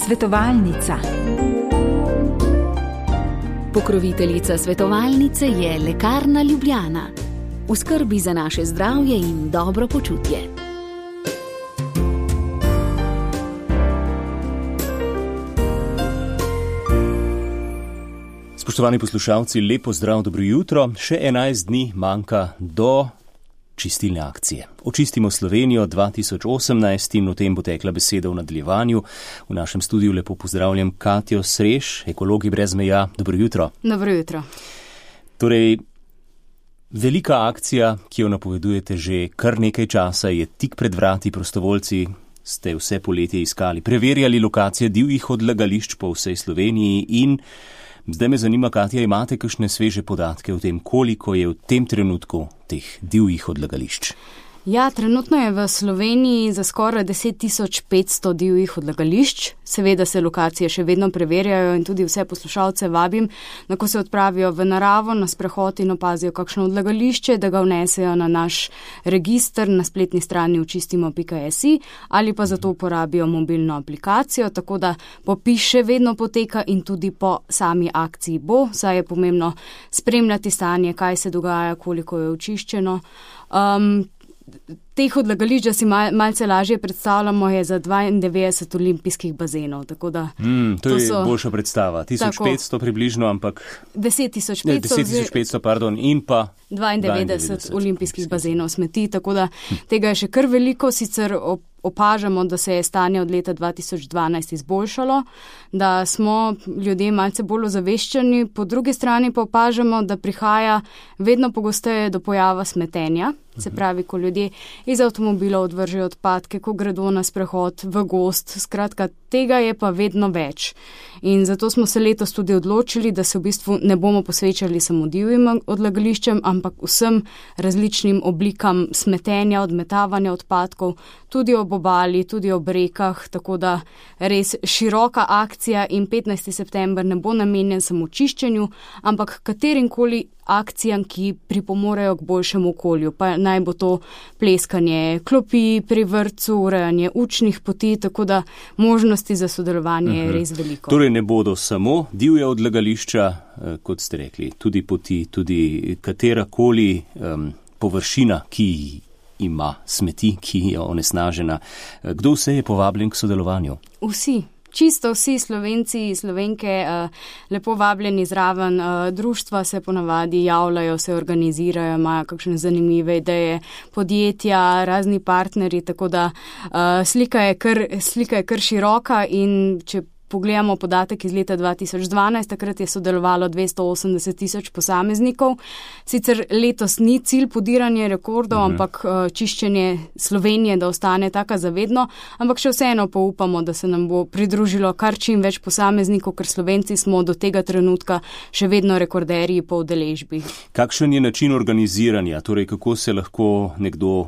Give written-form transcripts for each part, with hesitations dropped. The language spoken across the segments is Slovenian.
Svetovalnica. Pokroviteljica svetovalnice je Lekarna Ljubljana. V skrbi za naše zdravje in dobro počutje. Spoštovani poslušalci, lepo zdrav, dobro jutro. Še 11 dni manjka do čistilne akcije. Očistimo Slovenijo 2018 in o tem bo tekla beseda v nadaljevanju. V našem studiu lepo pozdravljam Katjo Sreš, Ekologi brez meja. Dobro jutro. Dobro jutro. Torej, velika akcija, ki jo napovedujete že kar nekaj časa, je tik pred vrati. Prostovoljci ste vse poletje iskali, preverjali lokacije divjih odlagališč po vsej Sloveniji in zdaj me zanima, Katja, imate kakšne sveže podatke o tem, koliko je v tem trenutku teh divjih odlagališč? Ja, trenutno je v Sloveniji za skoraj 10.500 divjih odlagališč. Seveda se lokacije še vedno preverjajo in tudi vse poslušalce vabim, da ko se odpravijo v naravo na sprehod in opazijo kakšno odlagališče, da ga vnesejo na naš register na spletni strani očistimo.si ali pa zato uporabijo mobilno aplikacijo, tako da popis še vedno poteka in tudi po sami akciji bo, saj je pomembno spremljati stanje, kaj se dogaja, koliko je očiščeno. Teh odlagališč, da si malce lažje predstavljamo, je za 92 olimpijskih bazenov. Tako da to je boljša predstava. 1500 približno, ampak 10.500 pardon, in pa 92 olimpijskih bazenov smeti, tako da tega je še kar veliko. Sicer opažamo, da se je stanje od leta 2012 izboljšalo, da smo ljudje malce bolj ozaveščeni, po drugi strani pa opažamo, da prihaja vedno pogosteje do pojava smetenja, se pravi, ko ljudje iz avtomobilov odvržejo odpadke, ko gredo na sprehod v gozd, skratka, tega je pa vedno več. In zato smo se letos tudi odločili, da se v bistvu ne bomo posvečali samo divjim odlagališčem, ampak vsem različnim oblikam smetenja, odmetavanja odpadkov, tudi ob obali, tudi ob rekah, tako da res široka akcija in 15. september ne bo namenjen samo čiščenju, ampak katerimkoli akcijam, ki pripomorejo k boljšemu okolju. Pa naj bo to pleskanje klopi pri vrtcu, urejanje učnih poti, tako da možnosti za sodelovanje je res veliko. Torej ne bodo samo divja odlagališča, kot ste rekli, tudi poti, tudi katerakoli površina, ki ima smeti, ki je onesnažena. Kdo vse je povabljen k sodelovanju? Vsi. Čisto vsi Slovenci, Slovenke, lepo vabljeni zraven. Društva se ponavadi javljajo, se organizirajo, imajo kakšne zanimive ideje, podjetja, razni partnerji, tako da slika je kar široka in če pogledamo podatek iz leta 2012, takrat je sodelovalo 280,000 posameznikov. Sicer letos ni cilj podiranje rekordov, ampak čiščenje Slovenije, da ostane taka zavedno, ampak še vseeno pa upamo, da se nam bo pridružilo kar čim več posameznikov, ker Slovenci smo do tega trenutka še vedno rekorderji po udeležbi. Kakšen je način organiziranja? Torej, kako se lahko nekdo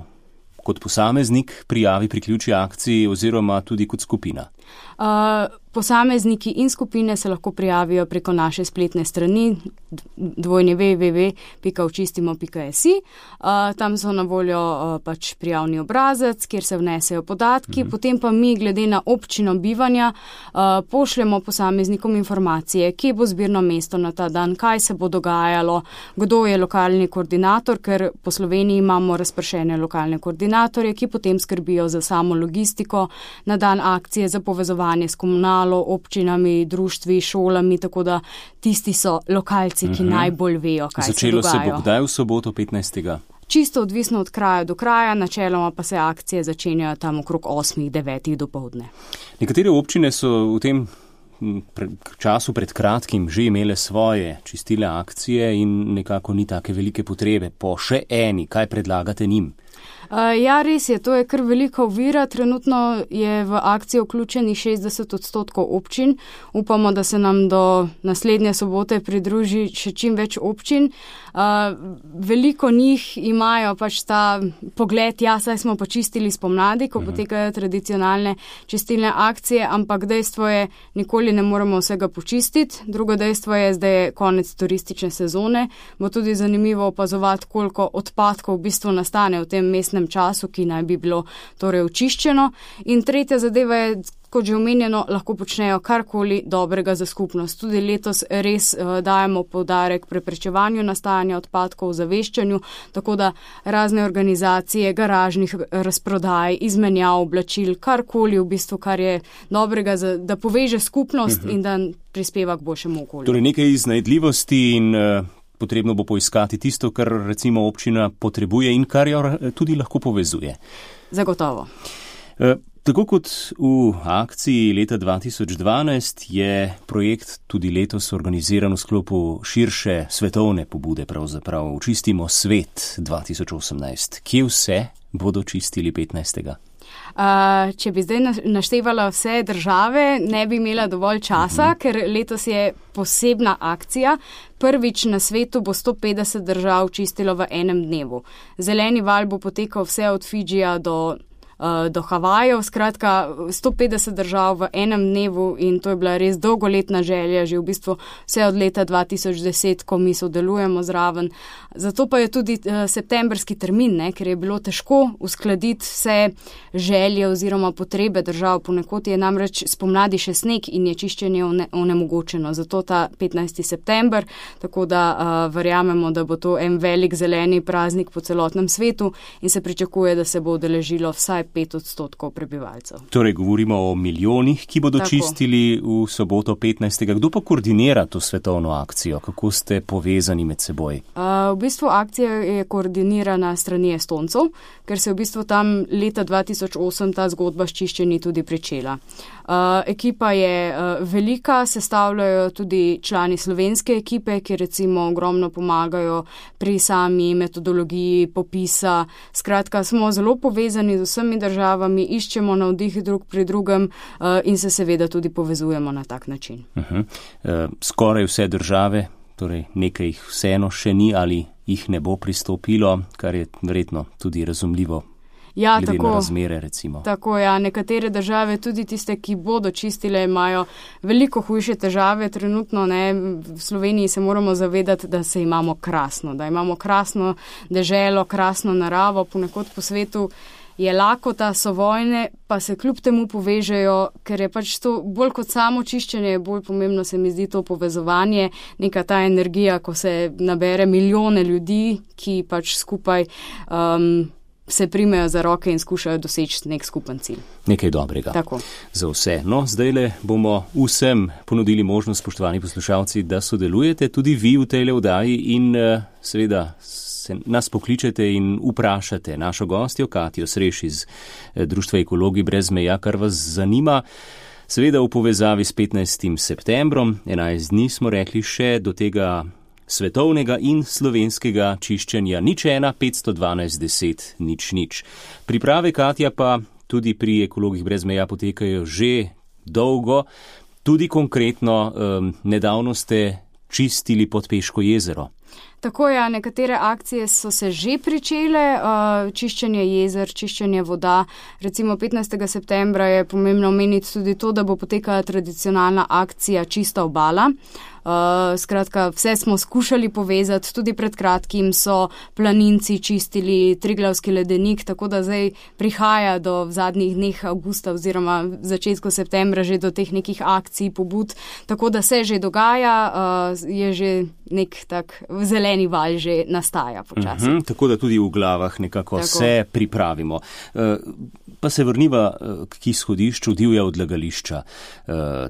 kot posameznik prijavi, priključi akciji oziroma tudi kot skupina? Posamezniki in skupine se lahko prijavijo preko naše spletne strani www.očistimo.si. Tam so na voljo pač prijavni obrazec, kjer se vnesejo podatki, potem pa mi glede na občino bivanja pošljemo posameznikom informacije, kje bo zbirno mesto na ta dan, kaj se bo dogajalo, kdo je lokalni koordinator, ker po Sloveniji imamo razpršene lokalne koordinatorje, ki potem skrbijo za samo logistiko na dan akcije, za povezovanje s komunalo, občinami, društvi, šolami, tako da tisti so lokalci, ki najbolj vejo, kaj Začelo se dogaja. Se bo kdaj v soboto 15. Čisto odvisno od kraja do kraja, načeloma pa se akcije začenjajo tam okrog 8-9 dopoldne. Nekatere občine so v tem času pred kratkim že imele svoje čistilne akcije in nekako ni take velike potrebe po še eni. Kaj predlagate njim? Ja, res je, to je kar velika ovira. Trenutno je v akcijo vključenih 60% občin. Upamo, da se nam do naslednje sobote pridruži še čim več občin. Veliko njih imajo pač ta pogled, ja, saj smo pa čistili spomladi, ko potekajo tradicionalne čistilne akcije, ampak dejstvo je, nikoli ne moremo vsega počistiti. Drugo dejstvo je, zdaj je konec turistične sezone. Bo tudi zanimivo opazovati, koliko odpadkov v bistvu nastane v tem mestnem času, ki naj bi bilo torej očiščeno. In tretja zadeva je kot že omenjeno, lahko počnejo karkoli dobrega za skupnost. Tudi letos res dajemo poudarek preprečevanju nastajanja odpadkov, zaveščanju, tako da razne organizacije, garažnih razprodaj, izmenjav oblačil, karkoli v bistvu, kar je dobrega, da poveže skupnost in da prispeva k boljšemu okolju. Torej nekaj iznajdljivosti in potrebno bo poiskati tisto, kar recimo občina potrebuje in kar jo tudi lahko povezuje. Zagotovo. Tako kot v akciji leta 2012 je projekt tudi letos organiziran v sklopu širše svetovne pobude, pravzaprav Očistimo svet 2018. Kje vse bodo čistili 15. Če bi zdaj naštevala vse države, ne bi imela dovolj časa, ker letos je posebna akcija. Prvič na svetu bo 150 držav čistilo v enem dnevu. Zeleni val bo potekal vse od Fidžija do Havajev, skratka 150 držav v enem dnevu in to je bila res dolgoletna želja, že v bistvu vse od leta 2010, ko mi sodelujemo zraven. Zato pa je tudi septembrski termin, ker je bilo težko uskladiti vse želje oziroma potrebe držav. Ponekod je namreč spomladi še sneg in je čiščenje onemogočeno. Zato ta 15. september, tako da verjamemo, da bo to en velik zeleni praznik po celotnem svetu in se pričakuje, da se bo udeležilo vsaj 5% prebivalcev. Torej govorimo o milijonih, ki bodo čistili v soboto 15. Kdo pa koordinira to svetovno akcijo? Kako ste povezani med seboj? V bistvu akcija je koordinirana strani Estoncev, ker se v bistvu tam leta 2008 ta zgodba s čiščenji tudi pričela. Ekipa je velika, sestavljajo tudi člani slovenske ekipe, ki recimo ogromno pomagajo pri sami metodologiji popisa. Skratka, smo zelo povezani z vsemi državami, iščemo navdih drug pri drugem in se seveda tudi povezujemo na tak način. Skoraj vse države, torej nekaj jih vseeno še ni ali jih ne bo pristopilo, kar je verjetno tudi razumljivo. Ja, glede na razmere, recimo. Tako, ja, nekatere države, tudi tiste, ki bodo čistile, imajo veliko hujše težave trenutno, V Sloveniji se moramo zavedati, da se imamo krasno, da imamo krasno deželo, krasno naravo, ponekod po svetu je lakota, so vojne, pa se kljub temu povežejo, ker je pač to bolj kot samo čiščenje, bolj pomembno se mi zdi to povezovanje, neka ta energija, ko se nabere milijone ljudi, ki pač skupaj se primejo za roke in skušajo doseči nek skupen cilj. Nekaj dobrega. Tako. Za vse. No, zdajle bomo vsem ponudili možnost, spoštovani poslušalci, da sodelujete tudi vi v tej oddaji in seveda nas pokličete in vprašate našo gostjo Katjo Sreš iz Društva Ekologi brez meja, kar vas zanima. Seveda v povezavi s 15. septembrom, 11 dni smo rekli še do tega svetovnega in slovenskega čiščenja 01 512 10 0. Priprave, Katja, pa tudi pri Ekologih brez meja potekajo že dolgo. Tudi konkretno nedavno ste čistili Podpeško jezero. Tako je, nekatere akcije so se že pričele, čiščenje jezer, čiščenje voda. Recimo 15. septembra je pomembno omeniti tudi to, da bo potekala tradicionalna akcija Čista obala. Skratka, vse smo skušali povezati, tudi pred kratkim so planinci čistili Triglavski ledenik, tako da zdaj prihaja v zadnjih dneh avgusta oziroma začetku septembra že do teh nekih akcij, pobud, tako da se že dogaja, je že nek tak zeleni val že nastaja počasi. Tako da tudi v glavah nekako se pripravimo. Pa se vrniva k izhodišču divja odlagališča.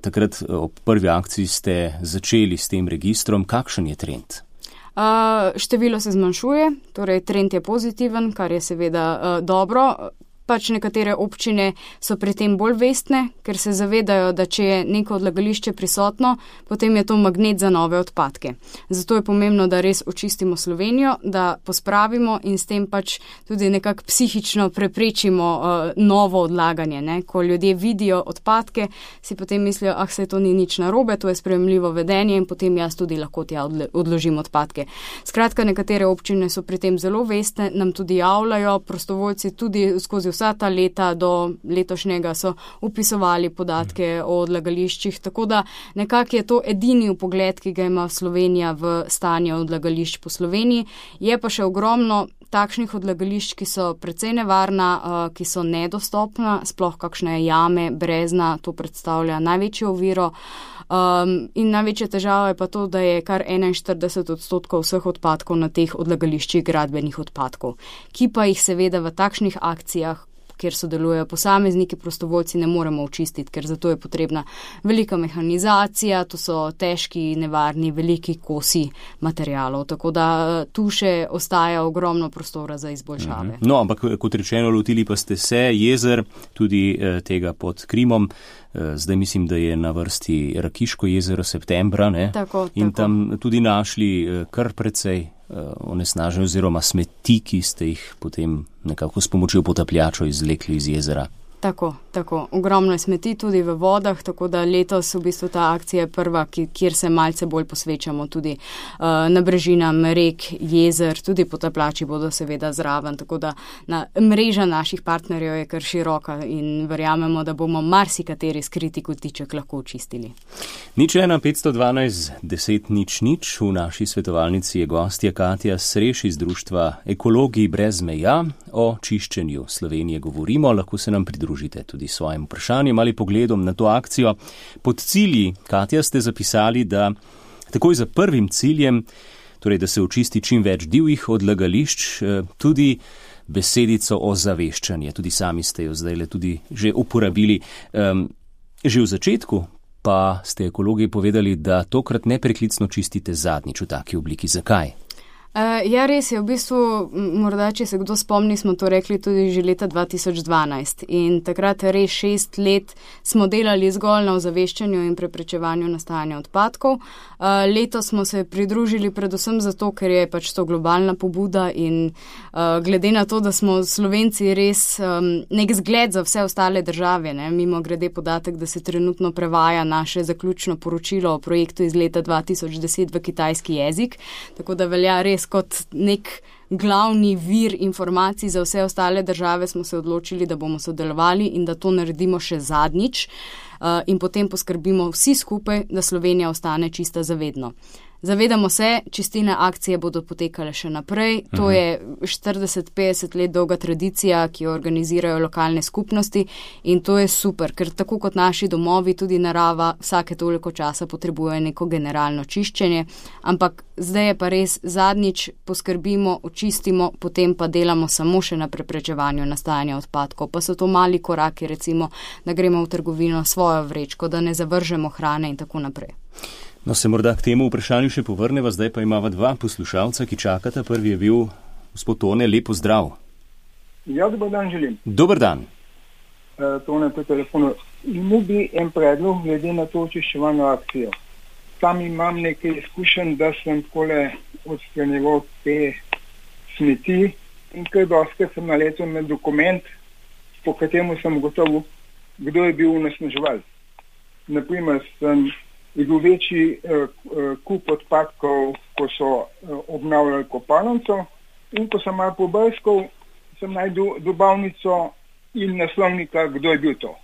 Takrat ob prvi akciji ste začeli s tem registrom. Kakšen je trend? Število se zmanjšuje, torej trend je pozitiven, kar je seveda dobro. Pač nekatere občine so pri tem bolj vestne, ker se zavedajo, da če je neko odlagališče prisotno, potem je to magnet za nove odpadke. Zato je pomembno, da res očistimo Slovenijo, da pospravimo in s tem pač tudi nekako psihično preprečimo novo odlaganje. Ko ljudje vidijo odpadke, si potem mislijo, saj to ni nič narobe, to je sprejemljivo vedenje in potem jaz tudi lahko tja odložim odpadke. Skratka, nekatere občine so pri tem zelo vestne, nam tudi javljajo, prostovoljci tudi skozi vsa ta leta do letošnjega so upisovali podatke o odlagališčih, tako da nekako je to edini vpogled, ki ga ima Slovenija v stanje odlagališč po Sloveniji. Je pa še ogromno takšnih odlagališč, ki so precej nevarna, ki so nedostopna, sploh kakšne jame, brezna, to predstavlja največjo oviro. In največja težava je pa to, da je kar 41% vseh odpadkov na teh odlagališčih gradbenih odpadkov, ki pa jih seveda v takšnih akcijah, kjer sodelujejo posamezniki, prostovoljci, ne moremo očistiti, ker zato je potrebna velika mehanizacija, to so težki, nevarni, veliki kosi materialov, tako da tu še ostaja ogromno prostora za izboljšave. No, ampak kot rečeno, lotili pa ste se jezer, tudi tega pod Krimom. Zdaj mislim, da je na vrsti Rakiško jezero septembra, ne? Tako. Tam tudi našli kar precej onesnaženj oziroma smeti, ki ste jih potem nekako s pomočjo potapljačev izvlekli iz jezera. Tako. Ogromno je smeti tudi v vodah, tako da letos v bistvu ta akcija je prva, kjer se malce bolj posvečamo tudi nabrežinam rek, jezer, tudi potapljači bodo seveda zraven, tako da mreža naših partnerjev je kar široka in verjamemo, da bomo marsikateri skriti kotiček lahko očistili. 01 512 10 00. V naši svetovalnici je gostja Katja Sreš iz društva Ekologi brez meja. O čiščenju Slovenije govorimo, lahko se nam pridružite tudi svojim vprašanjem ali pogledom na to akcijo. Pod cilji, Katja, ste zapisali, da takoj za prvim ciljem, torej da se očisti čim več divjih odlagališč, tudi besedico ozaveščanje. Tudi sami ste jo zdajle tudi že uporabili. Že v začetku pa ste ekologi povedali, da tokrat nepreklicno čistite zadnjič v taki obliki. Zakaj? Ja, res je. V bistvu, morda, če se kdo spomni, smo to rekli tudi že leta 2012 in takrat res 6 let smo delali zgolj na ozaveščanju in preprečevanju nastajanja odpadkov. Letos smo se pridružili predvsem zato, ker je pač to globalna pobuda in glede na to, da smo Slovenci res nek zgled za vse ostale države, ne? Mimo grede podatek, da se trenutno prevaja naše zaključno poročilo o projektu iz leta 2010 v kitajski jezik, tako da velja res kot nek glavni vir informacij za vse ostale države, smo se odločili, da bomo sodelovali in da to naredimo še zadnjič in potem poskrbimo vsi skupaj, da Slovenija ostane čista zavedno. Zavedamo se, čistilne akcije bodo potekale še naprej. To je 40-50 let dolga tradicija, ki jo organizirajo lokalne skupnosti in to je super, ker tako kot naši domovi, tudi narava vsake toliko časa potrebuje neko generalno čiščenje, ampak zdaj je pa res zadnjič poskrbimo, očistimo, potem pa delamo samo še na preprečevanju nastajanja odpadkov. Pa so to mali koraki, recimo, da gremo v trgovino svojo vrečko, da ne zavržemo hrane in tako naprej. No, se morda k temu vprašanju še povrneva, zdaj pa imava dva poslušalca, ki čakata. Prvi je bil gospod Tone, lepo zdrav. Ja, dober dan želim. Dober dan. Tone po telefonu. Imel bi en predlog glede na to očiščevalno akcijo. Tam imam nekaj izkušenj, da sem takole odstranjeval te smeti in kaj dosti sem naletel na dokument, po kateremu sem ugotovil, kdo je bil onesnaževalec. Naprimer, je bil večji kup odpadkov, ko so obnavljali kopalnico in ko sem malo pobrskal, sem najdel dobavnico in naslovnika, kdo je bil to.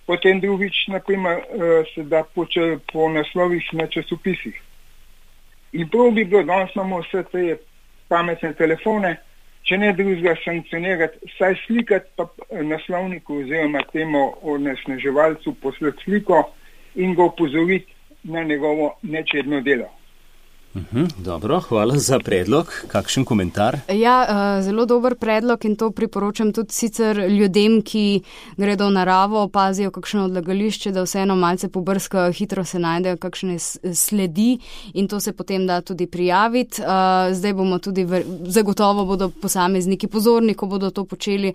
Potem drugič, naprimer, se da po naslovih na časopisih. In prav bi bilo, danes imamo vse te pametne telefone, če ne drugega sankcionirati, saj slikati pa naslovniku oziroma temu onesnaževalcu poslati sliko in ga opozoriti na njegovo nečedno delo. Dobro, hvala za predlog. Kakšen komentar? Ja, zelo dober predlog in to priporočam tudi sicer ljudem, ki gredo v naravo, opazijo kakšno odlagališče, da vseeno malce pobrskajo, hitro se najdejo kakšne sledi in to se potem da tudi prijaviti. Zdaj bomo tudi, zagotovo bodo posamezniki pozorni, ko bodo to počeli.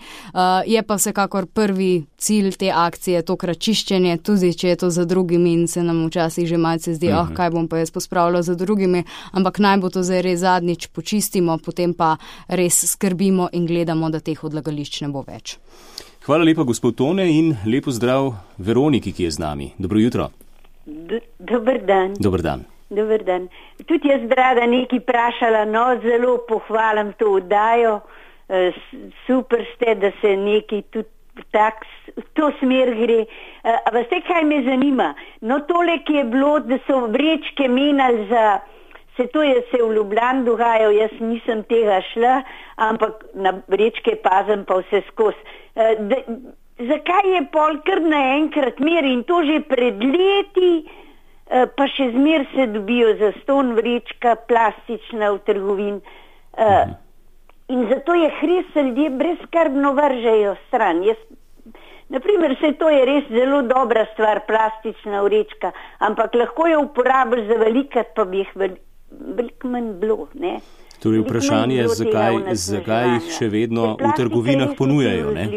Je pa vsekakor prvi cilj te akcije tokrat čiščenje, tudi če je to za drugimi in se nam včasih že malce zdi, kaj bom pa jaz pospravljal za drugimi, ampak naj bo to zdaj res zadnjič počistimo, potem pa res skrbimo in gledamo, da teh odlagališč ne bo več. Hvala lepa, gospod Tone, in lepo zdrav Veroniki, ki je z nami. Dobro jutro. Dober dan. Dober dan. Dober dan. Tudi jaz rada nekaj vprašala, no, zelo pohvalim to oddajo. Super ste, da se nekaj tudi tak, v to smer gre. A veste, kaj me zanima? No, tole, ki je bilo, da so vrečke menjali za Se to je se v Ljubljani dogajalo, jaz nisem tega šla, ampak na vrečke pazim pa vse skozi. Zakaj je pol kar naenkrat mer in to že pred leti, pa še zmer se dobijo zastonj vrečka, plastična v trgovin. In zato je res ljudje brezskrbno vržejo stran. Naprimer, to je res zelo dobra stvar, plastična vrečka, ampak lahko jo uporabiš za velikat, pa bi jih veliko manj bilo, ne? Torej vprašanje je, zakaj jih še vedno v trgovinah ponujajo, ne?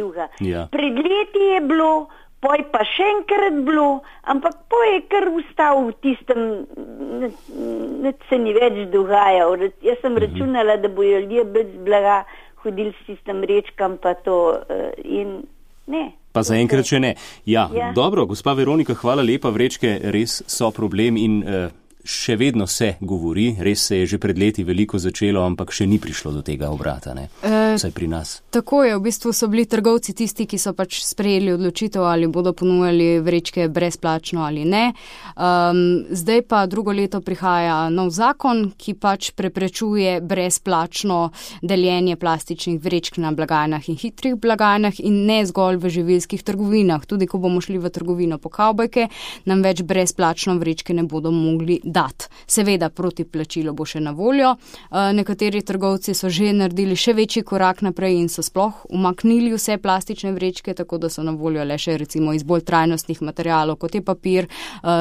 Ja. Pred leti je bilo, poj pa še enkrat bilo, ampak poj je kar ustal v tistem, nič se ni več dogajal. Jaz sem računala, da bojo ljudje brez blaga hodili s tistem vrečkam, pa to in ne. Pa zaenkrat še ne. Ja, dobro, gospa Veronika, hvala lepa, vrečke res so problem in še vedno se govori, res se je že pred leti veliko začelo, ampak še ni prišlo do tega obrata, ne? Vsaj pri nas. Tako je, v bistvu so bili trgovci tisti, ki so pač sprejeli odločitev, ali bodo ponujali vrečke brezplačno ali ne. Zdaj pa drugo leto prihaja nov zakon, ki pač preprečuje brezplačno deljenje plastičnih vrečk na blagajnah in hitrih blagajnah in ne zgolj v živilskih trgovinah. Tudi ko bomo šli v trgovino po kavbojke, nam več brezplačno vrečke ne bodo mogli dati. Seveda proti plačilu bo še na voljo. Nekateri trgovci so že naredili še večji korak naprej in so sploh umaknili vse plastične vrečke, tako da so na voljo le še recimo iz bolj trajnostnih materialov, kot je papir,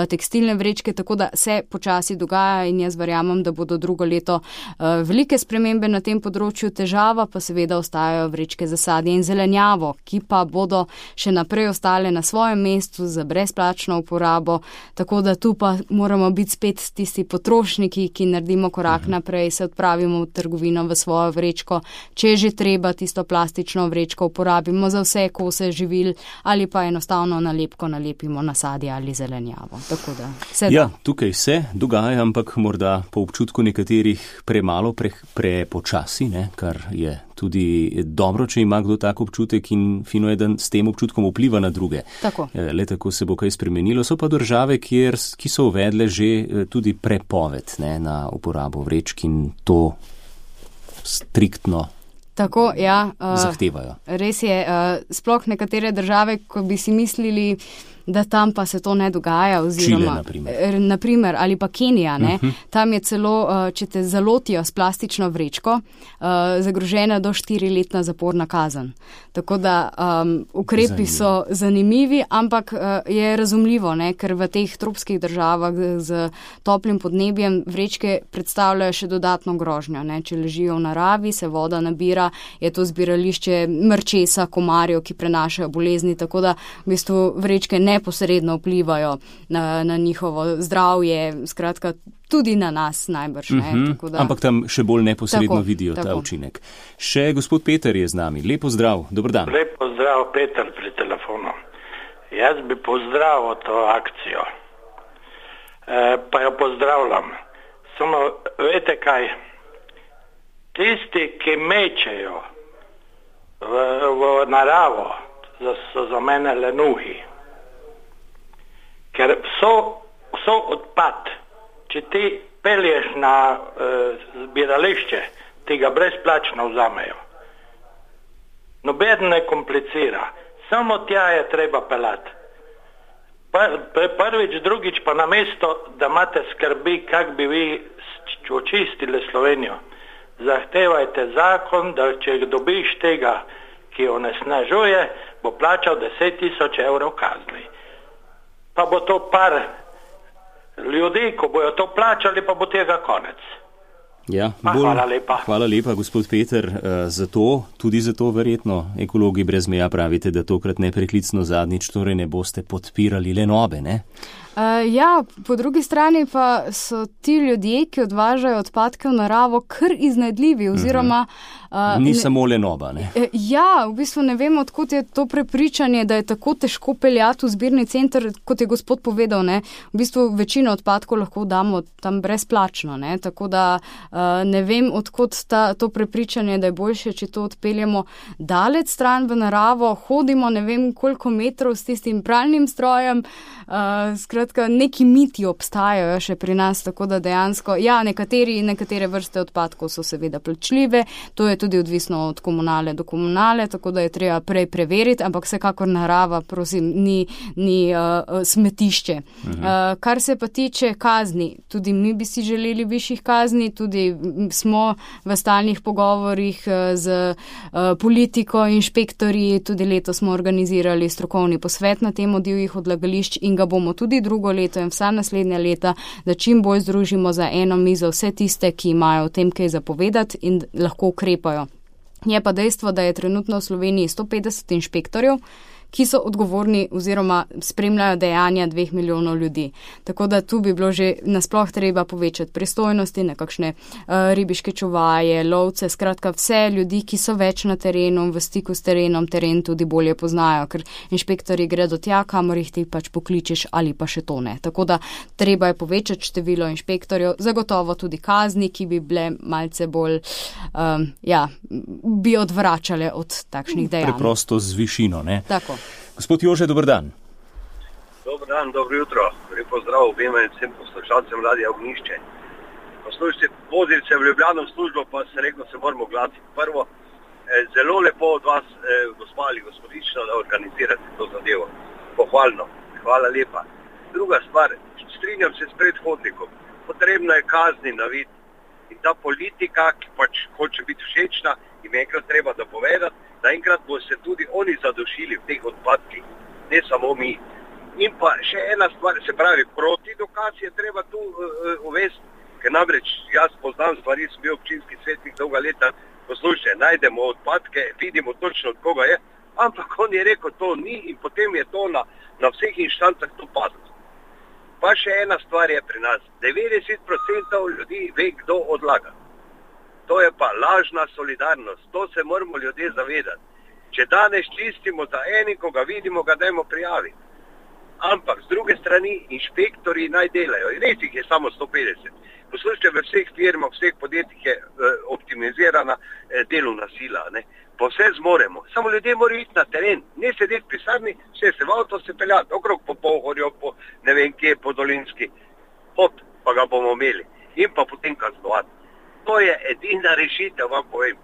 tekstilne vrečke, tako da se počasi dogaja in jaz verjamem, da bodo drugo leto velike spremembe na tem področju. Težava pa seveda ostajajo vrečke za sadje in zelenjavo, ki pa bodo še naprej ostale na svojem mestu za brezplačno uporabo, tako da tu pa moramo biti spet tisti potrošniki, ki naredimo korak naprej, se odpravimo v trgovino v svojo vrečko, če že treba tisto plastično vrečko uporabimo za vse kose živil ali pa enostavno nalepko nalepimo na sadje ali zelenjavo. Tako da se ja, tukaj se dogaja, ampak morda po občutku nekaterih premalo, prepočasi, ne, kar je tudi dobro, če ima kdo tak občutek in fino je, da s tem občutkom vpliva na druge. Tako. Le tako se bo kaj spremenilo. So pa države, ki so uvedle že tudi prepoved, ne, na uporabo vrečk in to striktno tako, ja, zahtevajo. Res je, sploh nekatere države, ko bi si mislili, da tam pa se to ne dogaja, oziroma Čile, naprimer, ali pa Kenija, ne? Tam je celo, če te zalotijo s plastično vrečko, zagrožena do 4-letna zaporna kazen. Tako da ukrepi so zanimivi, ampak je razumljivo, ne? Ker v teh tropskih državah z toplim podnebjem vrečke predstavljajo še dodatno grožnjo, ne? Če ležijo v naravi, se voda nabira, je to zbirališče mrčesa, komarjev, ki prenašajo bolezni, tako da v bistvu vrečke neposredno vplivajo na njihovo zdravje, skratka tudi na nas najbrž. Ne? Tako da, ampak tam še bolj neposredno vidijo ta učinek. Še gospod Peter je z nami. Lep pozdrav, dober dan. Lep pozdrav, Peter pri telefonu. Jaz bi pozdravil to akcijo, pa jo pozdravljam. Samo, vete kaj, tisti, ki mečejo v naravo, so za mene lenuhi. Ker so odpad. Če ti pelješ na zbirališče, ti ga brezplačno vzamejo. Noben ne komplicira. Samo tja je treba pelati. Prvič, drugič pa namesto, da imate skrbi, kak bi vi očistili Slovenijo. Zahtevajte zakon, da če dobiš tega, ki onesnažuje, bo plačal 10.000 evrov kazni. Pa bo to par ljudi, ko bojo to plačali, pa bo tega konec. Ja, hvala lepa. Hvala lepa, gospod Peter, za to, tudi za to verjetno. Ekologi brez meja pravite, da tokrat nepreklicno zadnjič, torej ne boste podpirali lenobe, ne? Ja, po drugi strani pa so ti ljudje, ki odvažajo odpadke v naravo, kar iznajdljivi, oziroma Ni samo Lenoba, ne? Ja, v bistvu ne vem, odkot je to prepričanje, da je tako težko peljati v zbirni center, kot je gospod povedal, ne. V bistvu večino odpadkov lahko damo tam brezplačno, ne. Tako da ne vem, odkot to prepričanje, da je boljše, če to odpeljemo daleč stran v naravo, hodimo ne vem koliko metrov s tistim pralnim strojem, skratka, neki miti obstajajo še pri nas, tako da dejansko, ja, nekatere vrste odpadkov so seveda plačljive, to je tudi odvisno od komunale do komunale, tako da je treba prej preveriti, ampak vsekakor narava, prosim, ni smetišče. Kar se pa tiče kazni, tudi mi bi si želeli višjih kazni, tudi smo v stalnih pogovorih z politiko, inšpektorji, tudi letos smo organizirali strokovni posvet na temo divjih odlagališč in ga bomo tudi drugo leto in vsa naslednja leta, da čim bolj združimo za eno mizo vse tiste, ki imajo o tem kaj zapovedati in lahko ukrepajo. Je pa dejstvo, da je trenutno v Sloveniji 150 inšpektorjev, ki so odgovorni oziroma spremljajo dejanja 2 milijonov ljudi. Tako da tu bi bilo že nasploh treba povečati pristojnosti, nekakšne ribiške čuvaje, lovce, skratka vse ljudi, ki so več na terenu, v stiku s terenom, teren tudi bolje poznajo, ker inšpektorji gredo tja, kamor jih ti pač pokličeš ali pa še to ne. Tako da treba je povečati število inšpektorjev, zagotovo tudi kazni, ki bi bile malce bolj, bi odvračale od takšnih dejanj. Preprosto z višino, ne? Tako. Gospod Jože, dober dan. Dober dan, dobro jutro. Lep pozdrav obema in vsem poslušalcem Radia Ognjišče. Poslušajte, vozili se v Ljubljano v službo, pa se reklo, se moramo oglasiti. Prvo, zelo lepo od vas, gospa ali gospodična, da organizirate to zadevo. Pohvalno. Hvala lepa. Druga stvar, strinjam se s predhodnikom. Potrebno je kazni naviti. In ta politika, ki pač hoče biti všečna, jim enkrat treba dopovedati, da enkrat bo se tudi oni zadošili v teh odpadkih, ne samo mi. In pa še ena stvar, se pravi, proti dokaz je treba tu uvesti, ker namreč jaz poznam stvari, sem bil občinski svetnik dolga leta, poslušajte, najdemo odpadke, vidimo točno od koga je, ampak on je rekel, to ni in potem je to na vseh inštancah to padlo. Pa še ena stvar je pri nas, 90% ljudi ve, kdo odlaga. To je pa lažna solidarnost, to se moramo ljudje zavedati. Če danes čistimo za enim, ko ga vidimo, ga dajmo prijaviti. Ampak z druge strani inšpektori naj delajo. Res jih je samo 150. Poslušajte, v vseh firmah, vseh podjetjih je optimizirana delovna sila. Ne? Pa vse zmoremo. Samo ljudje morajo iti na teren, ne sedeti v pisarni, vse se v avto se peljati, okrog po Pohorju, po ne vem kje, po Dolinski. Hop, pa ga bomo imeli. In pa potem kaznovati. To je edina rešitev, vam povem.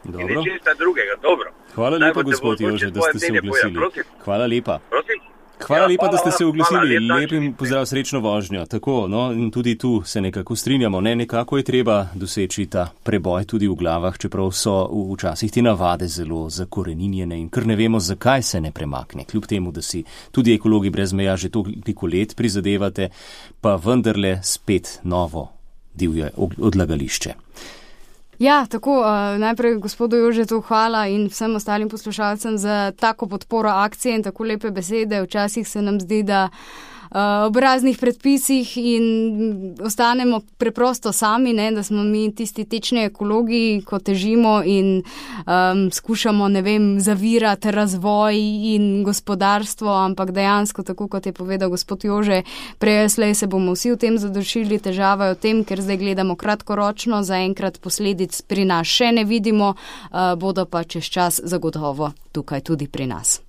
Dobro. In nečesta drugega. Dobro. Hvala lepa, gospod Jože, da ste se oglasili. Hvala lepa. Prosim. Hvala lepa, da ste se oglasili. Lep in pozdrav, srečno vožnjo. Tako, no, in tudi tu se nekako strinjamo. Nekako je treba doseči ta preboj tudi v glavah, čeprav so včasih ti navade zelo zakoreninjene in kar ne vemo, zakaj se ne premakne. Kljub temu, da si tudi ekologi brez meja že toliko let prizadevate, pa vendarle spet novo divje odlagališče. Ja, tako, najprej gospodu Jožetu hvala in vsem ostalim poslušalcem za tako podporo akcije in tako lepe besede. Včasih se nam zdi, da ob raznih predpisih in ostanemo preprosto sami, ne, da smo mi tisti tečni ekologi, ko težimo in skušamo, ne vem, zavirati razvoj in gospodarstvo, ampak dejansko, tako kot je povedal gospod Jože, prej slej se bomo vsi v tem zadošili, težava je v tem, ker zdaj gledamo kratkoročno, zaenkrat posledic pri nas še ne vidimo, bodo pa čez čas zagotovo tukaj tudi pri nas.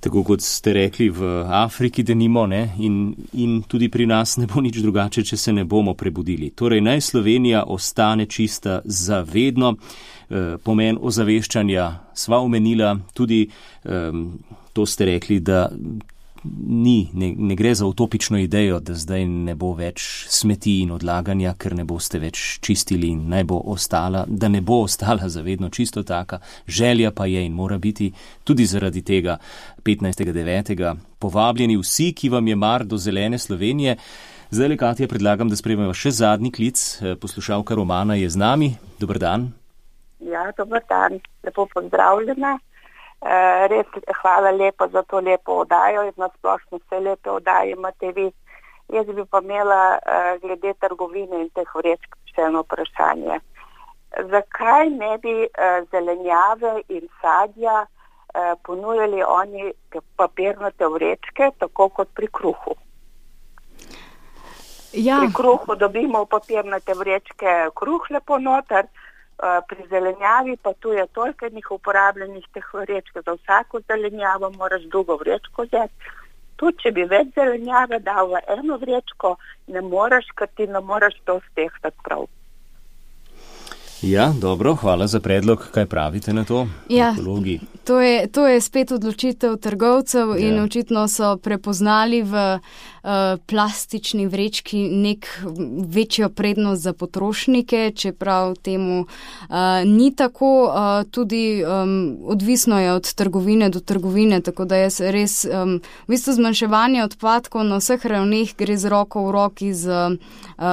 Tako kot ste rekli, v Afriki denimo, ne, in tudi pri nas ne bo nič drugače, če se ne bomo prebudili. Torej, naj Slovenija ostane čista zavedno. Pomen ozaveščanja sva omenila, tudi to ste rekli, da ne gre za utopično idejo, da zdaj ne bo več smeti in odlaganja, ker ne boste več čistili in naj bo ostala, da ne bo ostala zavedno čisto taka. Želja pa je in mora biti tudi zaradi tega 15.9. povabljeni vsi, ki vam je mar do zelene Slovenije. Zdaj, Katja, predlagam, da sprejmemo še zadnji klic. Poslušalka Romana je z nami. Dober dan. Ja, dober dan. Lepo pozdravljena. Res hvala lepo za to lepo oddajo in nasplošno vse lepe oddaje imate vi. Jaz bi pa imela glede trgovine in teh vrečk še eno vprašanje. zakaj ne bi zelenjave in sadja ponujali oni papirnate vrečke, tako kot pri kruhu. Ja. Pri kruhu dobimo v papirnate vrečke kruh lepo noter, pri zelenjavi pa tu je toliko enih uporabljenih teh vrečk, za vsako zelenjavo moraš drugo vrečko vzeti. Tudi, če bi več zelenjave dal v eno vrečko, ne moraš, ker ti ne moraš to stehtati prav. Ja, dobro, hvala za predlog. Kaj pravite na to? Ja, ekologi? To je spet odločitev trgovcev in očitno so prepoznali v plastični vrečki nek večjo prednost za potrošnike, čeprav temu ni tako, tudi odvisno je od trgovine do trgovine, tako da jaz res, v bistvu zmanjševanje odpadkov na vseh ravneh gre z roko v roki z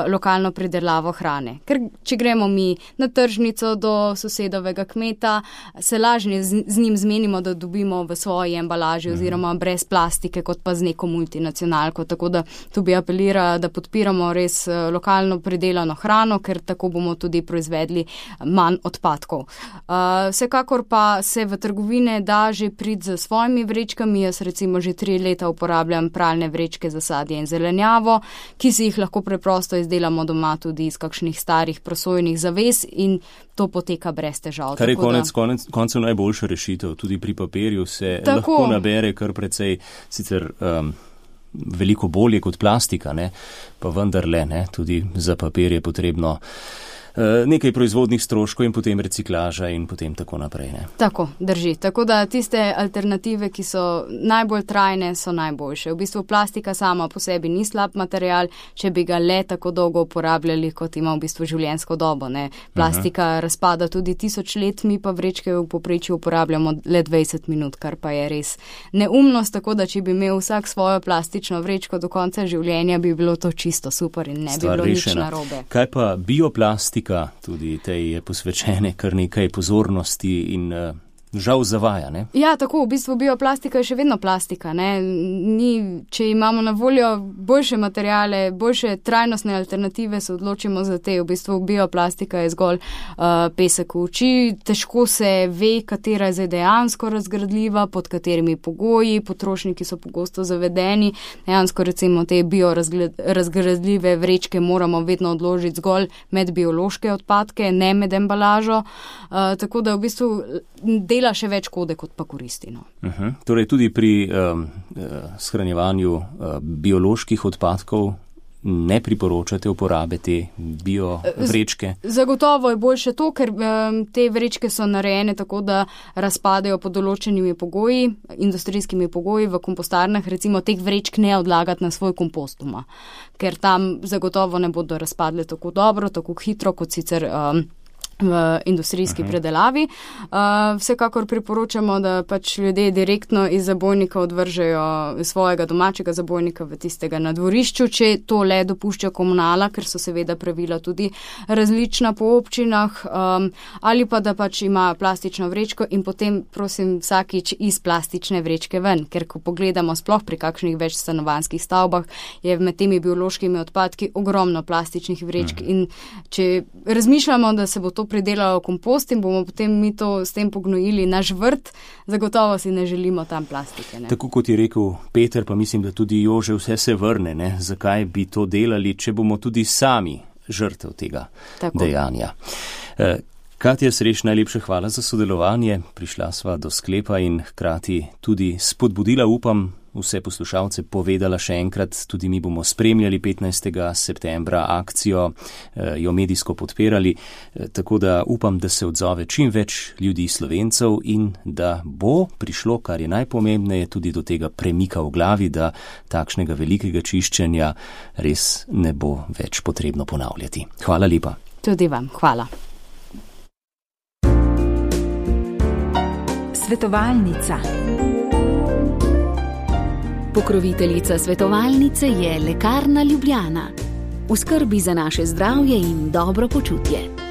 lokalno pridelavo hrane. Ker če gremo mi na tržnico do sosedovega kmeta, se lažje z njim zmenimo, da dobimo v svoji embalaži oziroma brez plastike, kot pa z neko multinacionalko. Tako da tu bi apelirala, da podpiramo res lokalno pridelano hrano, ker tako bomo tudi proizvedli manj odpadkov. Vsekakor pa se v trgovine da že priti z svojimi vrečkami. Jaz recimo že 3 leta uporabljam pralne vrečke za sadje in zelenjavo, ki si jih lahko preprosto izdelamo doma tudi iz kakšnih starih prosojnih zaves in to poteka brez težav. Kar je koncev najboljša rešitev. Tudi pri papirju se tako lahko nabere kar precej sicer veliko bolje kot plastika, ne? Pa vendarle, ne? Tudi za papir je potrebno nekaj proizvodnih stroškov in potem reciklaža in potem tako naprej. Ne? Tako, drži. Tako da tiste alternative, ki so najbolj trajne, so najboljše. V bistvu plastika sama po sebi ni slab material, če bi ga le tako dolgo uporabljali, kot ima v bistvu življenjsko dobo. Ne? Plastika razpada tudi 1000 let, mi pa vrečke v povprečju uporabljamo le 20 minut, kar pa je res neumnost, tako da če bi imel vsak svojo plastično vrečko do konca življenja, bi bilo to čisto super in ne bi bilo nič narobe. Kaj pa bioplastika? Tudi tej je posvečene kar nekaj pozornosti in žal zavaja, ne? Ja, tako, v bistvu bioplastika je še vedno plastika, ne? Če imamo na voljo boljše materijale, boljše trajnostne alternative, se odločimo za te. V bistvu bioplastika je zgolj pesek v oči, težko se ve, katera je dejansko razgradljiva, pod katerimi pogoji, potrošniki so pogosto zavedeni. Dejansko recimo te biorazgradljive vrečke moramo vedno odložiti zgolj med biološke odpadke, ne med embalažo, tako da v bistvu dela še več škode, kot pa koristi. No. Torej tudi pri shranjevanju bioloških odpadkov ne priporočate uporabe te biovrečke? Zagotovo je boljše to, ker te vrečke so narejene tako, da razpadejo pod določenimi pogoji, industrijskimi pogoji v kompostarnah, recimo teh vrečk ne odlagati na svoj kompost doma, ker tam zagotovo ne bodo razpadle tako dobro, tako hitro, kot sicer v industrijski predelavi. Vsekakor priporočamo, da pač ljudje direktno iz zabojnika odvržejo svojega domačega zabojnika v tistega na dvorišču, če to le dopušča komunala, ker so seveda pravila tudi različna po občinah, ali pa da pač ima plastično vrečko in potem prosim vsakič iz plastične vrečke ven, ker ko pogledamo sploh pri kakšnih več stanovanjskih stavbah, je med temi biološkimi odpadki ogromno plastičnih vrečk in če razmišljamo, da se bo to pridelalo kompost in bomo potem mi to s tem pognojili naš vrt, zagotovo si ne želimo tam plastike. Ne? Tako kot je rekel Peter, pa mislim, da tudi Jože, vse se vrne. Ne? Zakaj bi to delali, če bomo tudi sami žrtev tega dejanja? Katja Sreš, najlepša hvala za sodelovanje. Prišla sva do sklepa in hkrati tudi spodbudila, upam, vse poslušalce, povedala še enkrat, tudi mi bomo spremljali 15. septembra akcijo, jo medijsko podpirali, tako da upam, da se odzove čim več ljudi Slovencev in da bo prišlo, kar je najpomembneje, tudi do tega premika v glavi, da takšnega velikega čiščenja res ne bo več potrebno ponavljati. Hvala lepa. Tudi vam, hvala. Svetovalnica. Pokroviteljica svetovalnice je Lekarna Ljubljana. V skrbi za naše zdravje in dobro počutje.